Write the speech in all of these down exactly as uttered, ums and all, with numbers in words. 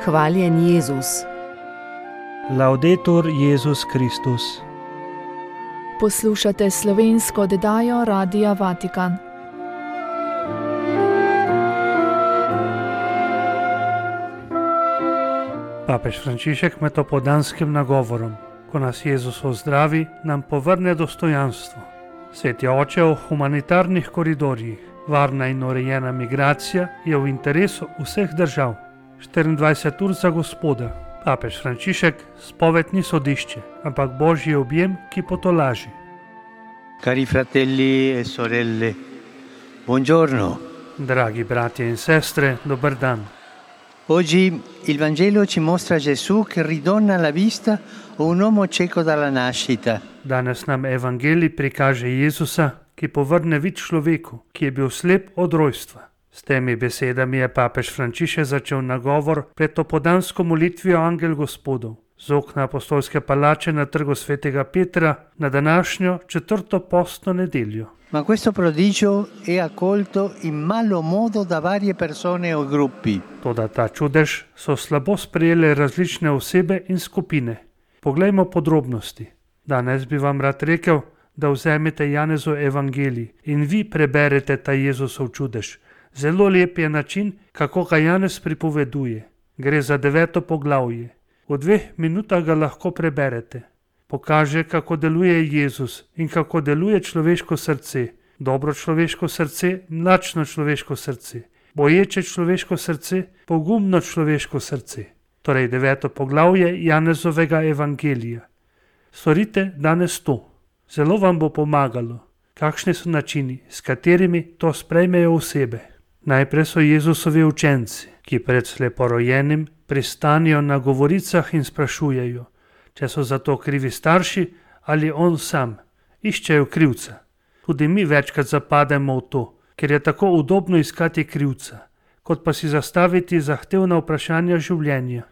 Hvaljen Jezus. Laudetur Jezus Kristus. Poslušate slovensko oddajo Radia Vatikan. Papež Frančišek med opoldanskim nagovorom, ko nas Jezus ozdravi, nam povrne dostojanstvo. Sveti oče, o humanitarnih koridorjih, varna in urejena migracija je v interesu vseh držav. štiriindvajset ur za Gospoda. Papež Frančišek, spoved ni sodišče, ampak božji objem, ki potolaži. Cari fratelli e sorelle, buongiorno. Dragi bratje in sestre, dober dan. Oggi il Vangelo ci mostra Gesù che ridona la vista a un uomo cieco dalla nascita. Danes nam Evangelij prikaže Jezusa, ki povrne vid človeku, ki je bil slep od rojstva. S temi besedami je papež Frančišek začel nagovor pred opoldansko molitvijo Angel Gospodov z okna apostolske palače na trgu svetega Petra na današnjo četrto postno nedeljo. Ma questo prodigio è accolto in malo modo da varie persone o gruppi. Toda ta čudež so slabo sprejele različne osebe in skupine. Poglejmo podrobnosti. Danes bi vam rad rekel, da vzemete Janezov evangelij in vi preberete ta Jezusov čudež. Zelo lep je način, kako ga Janez pripoveduje. Gre za deveto poglavje. V dveh minutah ga lahko preberete. Pokaže, kako deluje Jezus in kako deluje človeško srce. Dobro človeško srce, mlačno človeško srce. Boječe človeško srce, pogumno človeško srce. Torej deveto poglavje Janezovega evangelija. Storite danes to. Zelo vam bo pomagalo. Kakšni so načini, s katerimi to sprejmejo osebe? Najprej so Jezusovi učenci, ki pred sleporojenim pristanijo na govoricah in sprašujejo, če so za to krivi starši ali on sam. Iščejo krivca. Tudi mi večkrat zapademo v to, ker je tako udobno iskati krivca, kot pa si zastaviti zahtevna vprašanja življenja.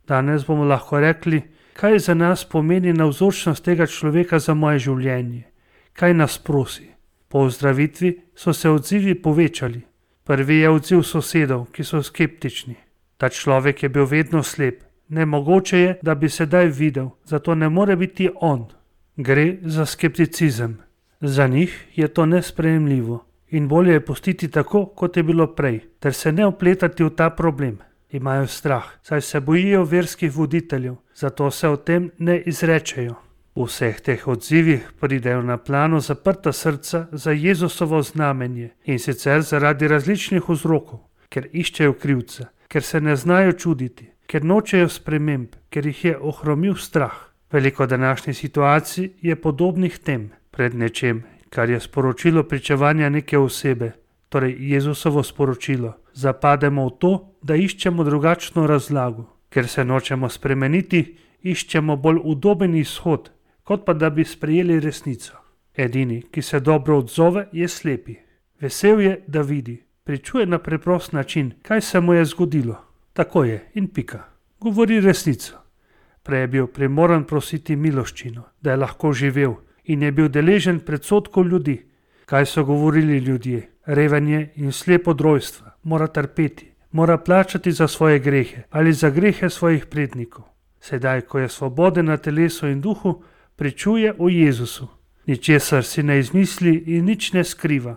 Danes bomo lahko rekli, kaj za nas pomeni navzočnost tega človeka za moje življenje, kaj nas prosi. Po ozdravitvi so se odzivi povečali. Prvi je odziv sosedov, ki so skeptični. Ta človek je bil vedno slep. Nemogoče je, da bi sedaj videl, zato ne more biti on. Gre za skepticizem. Za njih je to nesprejemljivo in bolje je pustiti tako, kot je bilo prej, ter se ne vpletati v ta problem. Imajo strah, saj se bojijo verskih voditeljev, zato se o tem ne izrečejo. V vseh teh odzivih pridejo na plano zaprta srca za Jezusovo znamenje in sicer zaradi različnih vzrokov, ker iščejo krivca, ker se ne znajo čuditi, ker nočejo sprememb, ker jih je ohromil strah. Veliko današnjih situacij je podobnih tem. Pred nečem, kar je sporočilo pričevanja neke osebe, torej Jezusovo sporočilo, zapademo v to, da iščemo drugačno razlago. Ker se nočemo spremeniti, iščemo bolj udoben izhod, kot pa da bi sprejeli resnico. Edini, ki se dobro odzove, je slepi. Vesel je, da vidi. Pričuje na preprost način, kaj se mu je zgodilo. Tako je in pika. Govori resnico. Prej je bil primoran prositi miloščino, da je lahko živel in je bil deležen predsodkov ljudi. Kaj so govorili ljudje? Reven je in slep od rojstva. Mora trpeti. Mora plačati za svoje grehe ali za grehe svojih prednikov. Sedaj, ko je svoboden na telesu in duhu, pričuje o Jezusu. Ničesar si ne izmisli in nič ne skriva.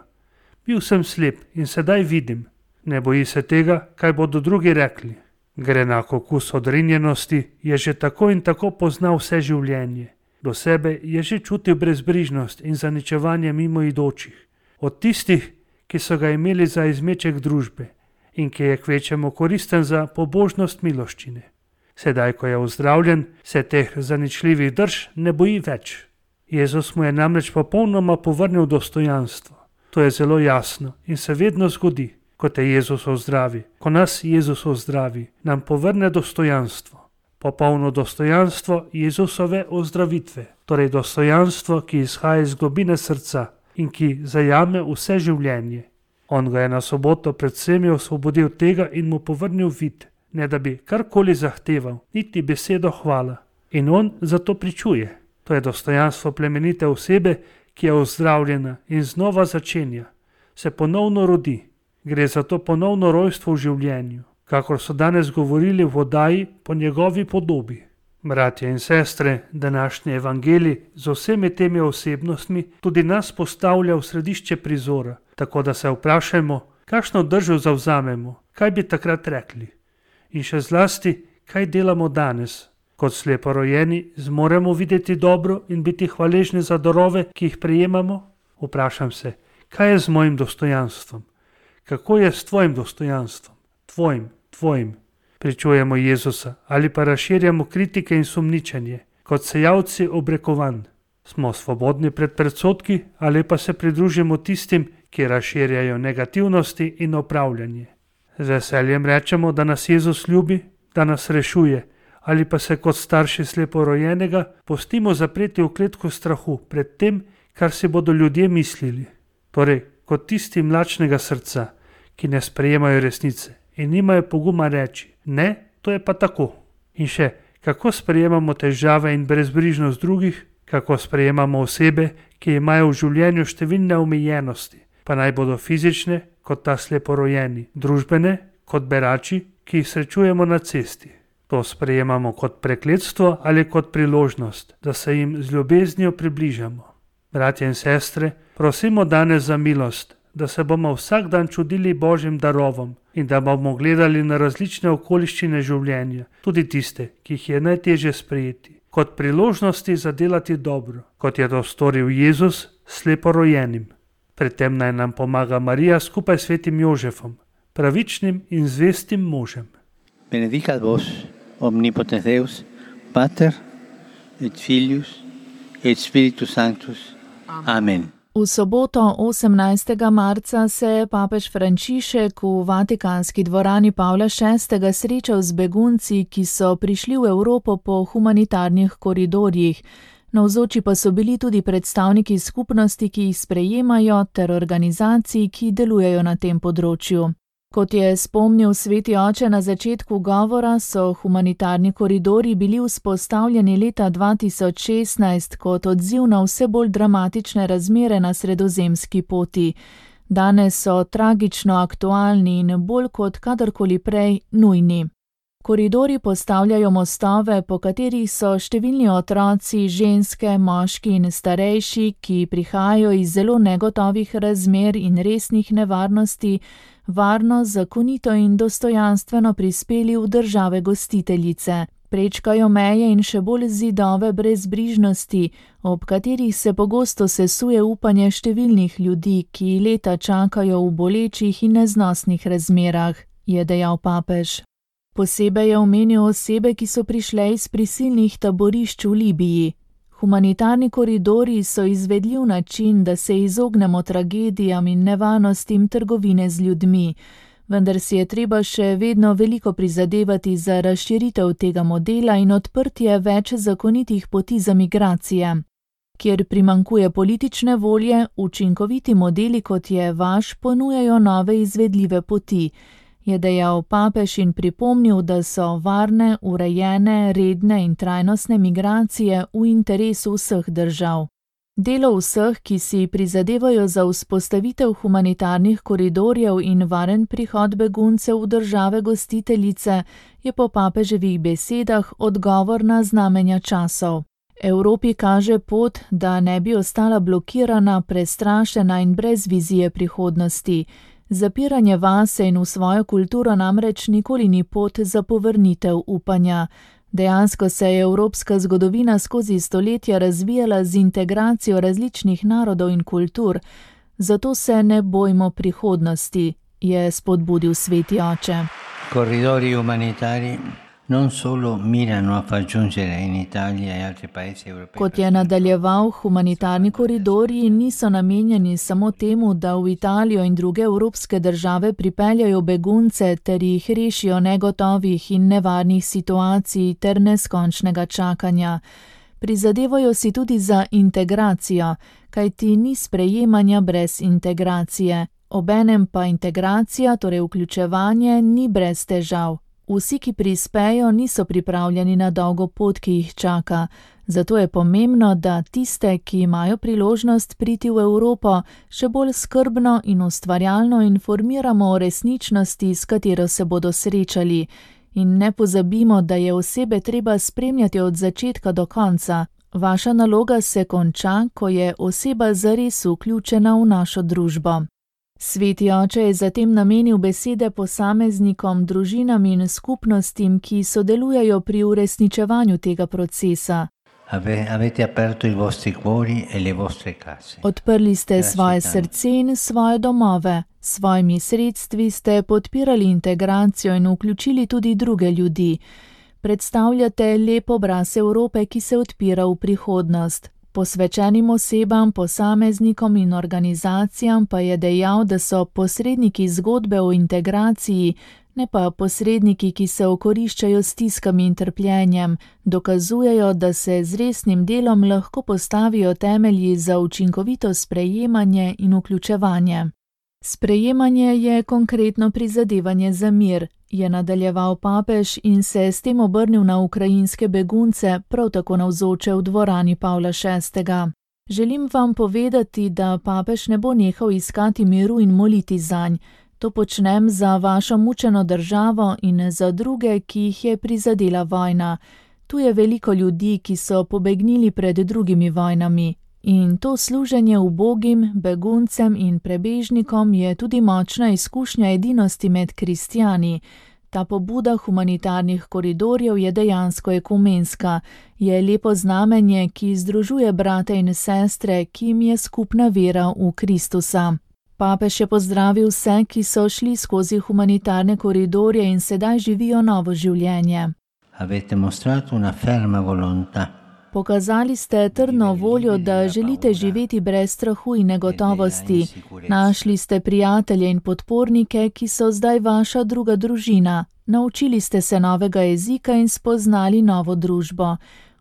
Bil sem slep in sedaj vidim. Ne boji se tega, kaj bodo drugi rekli. Grenak okus odrinjenosti je že tako in tako poznal vse življenje. Do sebe je že čutil brezbrižnost in zaničevanje mimoidočih. Od tistih, ki so ga imeli za izmeček družbe in ki je kvečemu koristen za pobožnost miloščine. Sedaj, ko je ozdravljen, se teh zaničljivih drž ne boji več. Jezus mu je namreč popolnoma povrnil dostojanstvo. To je zelo jasno in se vedno zgodi, ko te Jezus ozdravi. Ko nas Jezus ozdravi, nam povrne dostojanstvo. Popolno dostojanstvo Jezusove ozdravitve, torej dostojanstvo, ki izhaja iz globine srca in ki zajame vse življenje. On ga je na soboto pred vsemi osvobodil tega in mu povrnil vid, ne da bi karkoli zahteval, niti besedo hvala. In on zato pričuje. To je dostojanstvo plemenite osebe, ki je ozdravljena in znova začenja. Se ponovno rodi. Gre za to ponovno rojstvo v življenju. kakor so danes govorili v oddaji Po njegovi podobi. Bratje in sestre, današnji evangelij z vsemi temi osebnostmi tudi nas postavlja v središče prizora, tako da se vprašajmo, kakšno držo zavzamemo, kaj bi takrat rekli. In še zlasti, kaj delamo danes. Kot sleporojeni zmoremo videti dobro in biti hvaležni za darove, ki jih prejemamo? Vprašam se, kaj je z mojim dostojanstvom? Kako je s tvojim dostojanstvom? Tvojim, tvojim. Pričujemo Jezusa ali pa razširjamo kritike in sumničenje, kot sejavci obrekovanj. Smo svobodni pred predsodki ali pa se pridružimo tistim, ki razširjajo negativnosti in opravljanje. Z veseljem rečemo, da nas Jezus ljubi, da nas rešuje, ali pa se kot starši sleporojenega pustimo zapreti v kletko strahu pred tem, kar si bodo ljudje mislili. Torej, kot tisti mlačnega srca, ki ne sprejemajo resnice in nimajo poguma reči, ne, to je pa tako. In še, kako sprejemamo težave in brezbrižnost drugih, kako sprejemamo osebe, ki imajo v življenju številne omejenosti, pa naj bodo fizične, kot ta sleporojeni, družbene, kot berači, ki jih srečujemo na cesti. To sprejemamo kot prekletstvo ali kot priložnost, da se jim z ljubeznijo približamo. Bratje in sestre, prosimo danes za milost, da se bomo vsak dan čudili Božjim darovom in da bomo gledali na različne okoliščine življenja, tudi tiste, ki jih je najtežje sprejeti, kot priložnosti za delati dobro, kot je to storil Jezus sleporojenim. Pri tem naj nam pomaga Marija skupaj s svetim Jožefom, pravičnim in zvestim možem. Benedicat vos, omnipotens Deus, Pater et Filius et Spiritus Sanctus. Amen. V soboto osemnajstega marca se je papež Frančišek v Vatikanski dvorani Pavla šestega srečal z begunci, ki so prišli v Evropo po humanitarnih koridorjih. Navzoči pa so bili tudi predstavniki skupnosti, ki jih sprejemajo, ter organizacij, ki delujejo na tem področju. Kot je spomnil sveti oče na začetku govora, so humanitarni koridorji bili vzpostavljeni leta dva tisoč šestnajst kot odziv na vse bolj dramatične razmere na sredozemski poti. Danes so tragično aktualni in bolj kot kadarkoli prej nujni. Koridorji postavljajo mostove, po katerih so številni otroci, ženske, moški in starejši, ki prihajajo iz zelo negotovih razmer in resnih nevarnosti, varno, zakonito in dostojanstveno prispeli v države gostiteljice. Prečkajo meje in še bolj zidove brezbrižnosti, ob katerih se pogosto sesuje upanje številnih ljudi, ki leta čakajo v bolečih in neznosnih razmerah, je dejal papež. Posebej je omenil osebe, ki so prišle iz prisilnih taborišč v Libiji. Humanitarni koridorji so izvedljiv način, da se izognemo tragedijam in nevarnostim trgovine z ljudmi, vendar si je treba še vedno veliko prizadevati za razširitev tega modela in odprtje več zakonitih poti za migracije. Kjer primanjkuje politične volje, učinkoviti modeli, kot je vaš, ponujajo nove izvedljive poti, je dejal papež in pripomnil, da so varne, urejene, redne in trajnostne migracije v interesu vseh držav. Delo vseh, ki si prizadevajo za vzpostavitev humanitarnih koridorjev in varen prihod beguncev v države gostiteljice, je po papeževih besedah odgovor na znamenja časov. Evropi kaže pot, da ne bi ostala blokirana, prestrašena in brez vizije prihodnosti. Zapiranje vase in v svojo kulturo namreč nikoli ni pot za povrnitev upanja. Dejansko se je evropska zgodovina skozi stoletja razvijala z integracijo različnih narodov in kultur, zato se ne bojmo prihodnosti, je spodbudil sveti oče. Corridori umanitari non solo mirano a far giungere in Italia e altri paesi europei. Kot je nadaljeval, humanitarni koridorji niso namenjeni samo temu, da v Italijo in druge evropske države pripeljajo begunce ter jih rešijo negotovih in nevarnih situacij ter neskončnega čakanja. Prizadevajo si tudi za integracijo, kajti ni sprejemanja brez integracije. Obenem pa integracija, torej vključevanje, ni brez težav. Vsi, ki prispejo, niso pripravljeni na dolgo pot, ki jih čaka. Zato je pomembno, da tiste, ki imajo priložnost priti v Evropo, še bolj skrbno in ustvarjalno informiramo o resničnosti, s katero se bodo srečali. In ne pozabimo, da je osebe treba spremljati od začetka do konca. Vaša naloga se konča, ko je oseba zares vključena v našo družbo. Sveti oče je zatem namenil besede posameznikom, družinam in skupnostim, ki sodelujejo pri uresničevanju tega procesa. Avete aperto i vostri cuori e le vostre case. Odprli ste svoje srce in svoje domove. S svojimi sredstvi ste podpirali integracijo in vključili tudi druge ljudi. Predstavljate lep obraz Evrope, ki se odpira v prihodnost. Posvečenim osebam, posameznikom in organizacijam pa je dejal, da so posredniki zgodbe o integraciji, ne pa posredniki, ki se okoriščajo s stiskami in trpljenjem, dokazujejo, da se z resnim delom lahko postavijo temelji za učinkovito sprejemanje in vključevanje. Sprejemanje je konkretno prizadevanje za mir, je nadaljeval papež in se s tem obrnil na ukrajinske begunce, prav tako navzoče v dvorani Pavla šestega. Želim vam povedati, da papež ne bo nehal iskati miru in moliti zanj. To počnem za vašo mučeno državo in za druge, ki jih je prizadela vojna. Tu je veliko ljudi, ki so pobegnili pred drugimi vojnami. In to služenje ubogim, beguncem in prebežnikom je tudi močna izkušnja edinosti med kristjani. Ta pobuda humanitarnih koridorjev je dejansko ekumenska, je lepo znamenje, ki združuje brate in sestre, ki jim je skupna vera v Kristusa. Papež je pozdravil vse, ki so šli skozi humanitarne koridorje in sedaj živijo novo življenje. Avete mostrato una ferma volontà. Pokazali ste trdno voljo, da želite živeti brez strahu in negotovosti. Našli ste prijatelje in podpornike, ki so zdaj vaša druga družina. Naučili ste se novega jezika in spoznali novo družbo.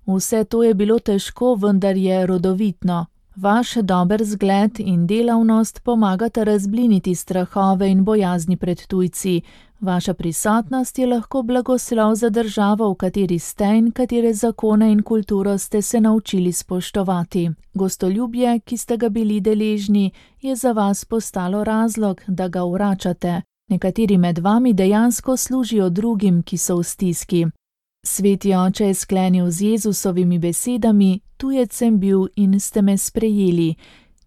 Vse to je bilo težko, vendar je rodovitno. Vaš dober zgled in delavnost pomagata razbliniti strahove in bojazni pred tujci. Vaša prisotnost je lahko blagoslov za državo, v kateri ste in katere zakone in kulturo ste se naučili spoštovati. Gostoljubje, ki ste ga bili deležni, je za vas postalo razlog, da ga vračate. Nekateri med vami dejansko služijo drugim, ki so v stiski. Sveti oče je sklenil z Jezusovimi besedami: tujec sem bil in ste me sprejeli.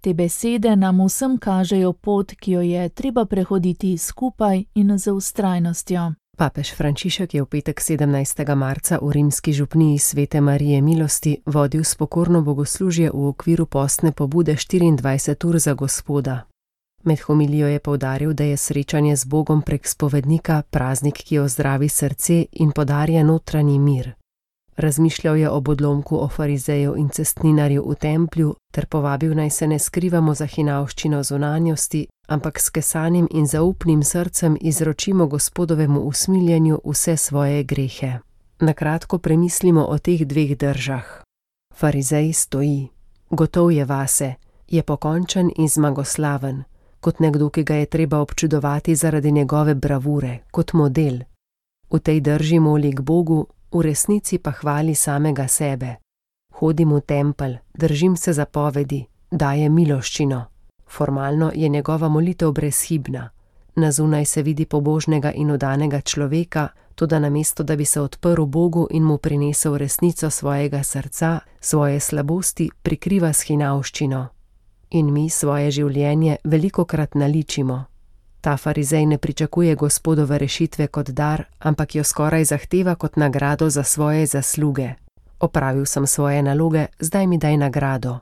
Te besede nam vsem kažejo pot, ki jo je treba prehoditi skupaj in z vztrajnostjo. Papež Frančišek je v petek sedemnajstega marca v rimski župniji Svete Marije Milosti vodil spokorno bogoslužje v okviru postne pobude štiriindvajset ur za Gospoda. Med homilijo je poudaril, da je srečanje z Bogom prek spovednika praznik, ki ozdravi srce in podarja notranji mir. Razmišljal je ob odlomku o farizeju in cestninarju v templju ter povabil, naj se ne skrivamo za hinavščino zunanjosti, ampak s kesanim in zaupnim srcem izročimo Gospodovemu usmiljenju vse svoje grehe. Nakratko premislimo o teh dveh držah. Farizej stoji. Gotov je vase, je pokončen in zmagoslaven, kot nekdo, ki ga je treba občudovati zaradi njegove bravure, kot model. V tej drži moli k Bogu, v resnici pa hvali samega sebe. Hodim v tempelj, držim se zapovedi, daje miloščino. Formalno je njegova molitev brezhibna. Na zunaj se vidi pobožnega in odanega človeka, toda namesto, da bi se odprl Bogu in mu prinesel resnico svojega srca, svoje slabosti prikriva s hinavščino. In mi svoje življenje velikokrat naličimo. Ta farizej ne pričakuje Gospodove rešitve kot dar, ampak jo skoraj zahteva kot nagrado za svoje zasluge. Opravil sem svoje naloge, zdaj mi daj nagrado.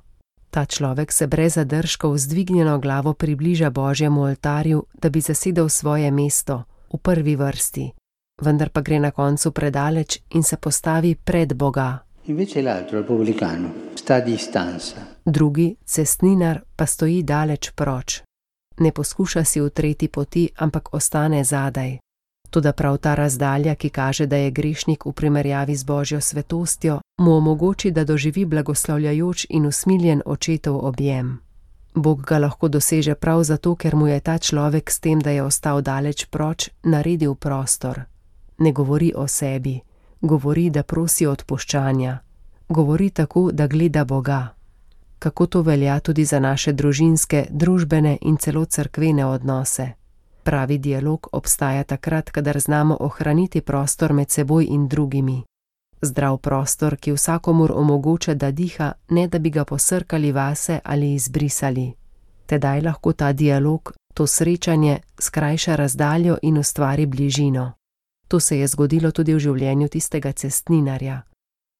Ta človek se brez zadržkov z dvignjeno glavo približa Božjemu oltarju, da bi zasedel svoje mesto, v prvi vrsti. Vendar pa gre na koncu predaleč in se postavi pred Boga. Invece l'altro, il pubblicano, sta a distanza. Drugi, cestninar, pa stoji daleč proč. Ne poskuša si utreti poti, ampak ostane zadaj. Toda prav ta razdalja, ki kaže, da je grešnik v primerjavi z Božjo svetostjo, mu omogoči, da doživi blagoslavljajoč in usmiljen očetov objem. Bog ga lahko doseže prav zato, ker mu je ta človek s tem, da je ostal daleč proč, naredil prostor. Ne govori o sebi, govori, da prosi odpuščanja. govori tako, da gleda Boga. Kako to velja tudi za naše družinske, družbene in celo cerkvene odnose. Pravi dialog obstaja takrat, kadar znamo ohraniti prostor med seboj in drugimi. Zdrav prostor, ki vsakomur omogoča, da diha, ne da bi ga posrkali vase ali izbrisali. Tedaj lahko ta dialog, to srečanje, skrajša razdaljo in ustvari bližino. To se je zgodilo tudi v življenju tistega cestninarja.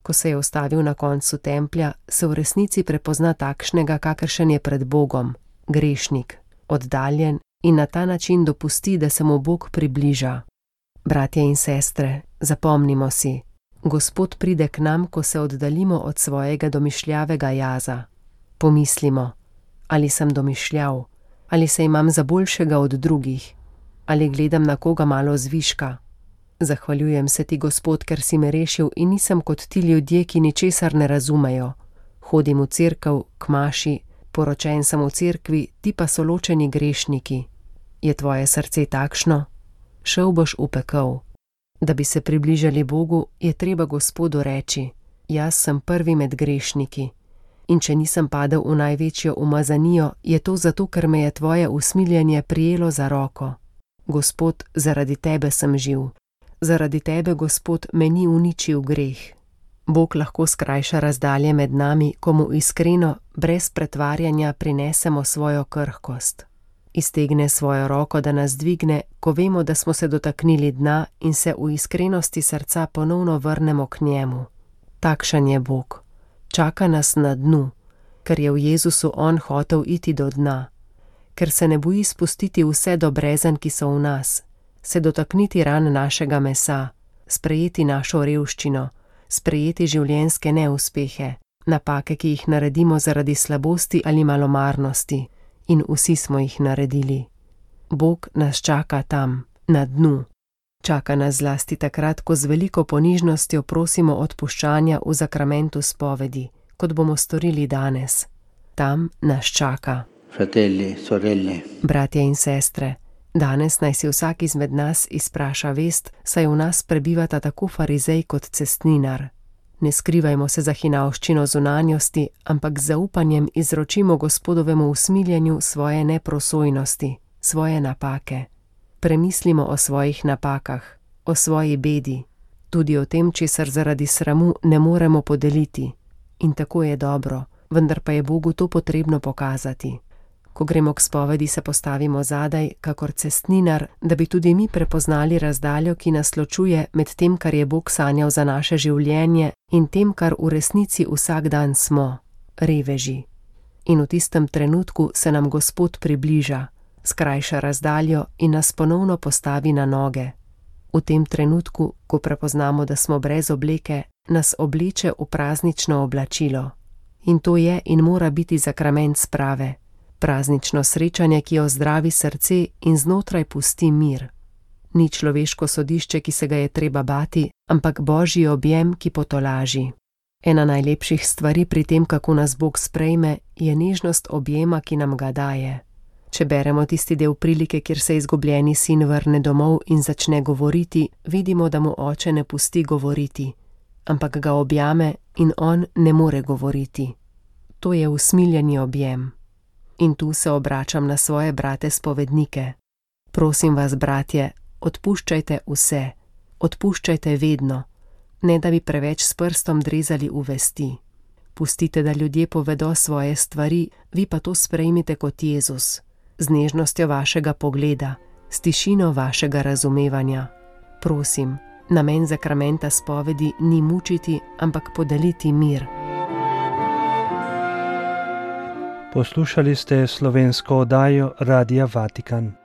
Ko se je ustavil na koncu templja, se v resnici prepozna takšnega, kakršen je pred Bogom, grešnik, oddaljen in na ta način dopusti, da se mu Bog približa. Bratje in sestre, zapomnimo si, Gospod pride k nam, ko se oddaljimo od svojega domišljavega jaza. Pomislimo, ali sem domišljav, ali se imam za boljšega od drugih, ali gledam na koga malo zviška. Zahvaljujem se ti, Gospod, ker si me rešil in nisem kot ti ljudje, ki ničesar ne razumejo. Hodim v cerkev, k maši, poročen sem v cerkvi, ti pa so ločeni grešniki. Je tvoje srce takšno? Šel boš v pekel. Da bi se približali Bogu, je treba Gospodu reči: jaz sem prvi med grešniki. In če nisem padel v največjo umazanijo, je to zato, ker me je tvoje usmiljenje prijelo za roko. Gospod, zaradi tebe sem živ. Zaradi tebe, Gospod, me ni uničil greh. Bog lahko skrajša razdalje med nami, ko mu iskreno, brez pretvarjanja prinesemo svojo krhkost. Iztegne svojo roko, da nas dvigne, ko vemo, da smo se dotaknili dna in se v iskrenosti srca ponovno vrnemo k njemu. Takšen je Bog. Čaka nas na dnu, ker je v Jezusu on hotel iti do dna, ker se ne boji spustiti vse do brezen, ki so v nas, se dotakniti ran našega mesa, sprejeti našo revščino, sprejeti življenjske neuspehe, napake, ki jih naredimo zaradi slabosti ali malomarnosti, in vsi smo jih naredili. Bog nas čaka tam, na dnu. Čaka nas zlasti takrat, ko z veliko ponižnostjo prosimo odpuščanja v zakramentu spovedi, kot bomo storili danes. Tam nas čaka. Fratelli, sorelle. Bratje in sestre, danes naj si vsak izmed nas izpraša vest, saj v nas prebivata tako farizej kot cestninar. Ne skrivajmo se za hinavščino zunanjosti, ampak z zaupanjem izročimo Gospodovemu usmiljenju svoje neprosojnosti, svoje napake. Premislimo o svojih napakah, o svoji bedi, tudi o tem, česar zaradi sramu ne moremo podeliti. In tako je dobro, vendar pa je Bogu to potrebno pokazati. Ko gremo k spovedi, se postavimo zadaj, kakor cestninar, da bi tudi mi prepoznali razdaljo, ki nas ločuje med tem, kar je Bog sanjal za naše življenje, in tem, kar v resnici vsak dan smo, reveži. In v tistem trenutku se nam Gospod približa, skrajša razdaljo in nas ponovno postavi na noge. V tem trenutku, ko prepoznamo, da smo brez obleke, nas obleče v praznično oblačilo. In to je in mora biti zakrament sprave. Praznično srečanje, ki ozdravi srce in znotraj pusti mir. Ni človeško sodišče, ki se ga je treba bati, ampak Božji objem, ki potolaži. Ena najlepših stvari pri tem, kako nas Bog sprejme, je nežnost objema, ki nam ga daje. Če beremo tisti del prilike, kjer se izgubljeni sin vrne domov in začne govoriti, vidimo, da mu oče ne pusti govoriti, ampak ga objame in on ne more govoriti. To je usmiljeni objem. In tu se obračam na svoje brate spovednike. Prosim vas, bratje, odpuščajte vse, odpuščajte vedno, ne da bi preveč s prstom drezali v vesti. Pustite, da ljudje povedo svoje stvari, vi pa to sprejmite kot Jezus, z nežnostjo vašega pogleda, s tišino vašega razumevanja. Prosim, namen zakramenta spovedi ni mučiti, ampak podeliti mir. Poslušali ste slovensko oddajo Radia Vatikan.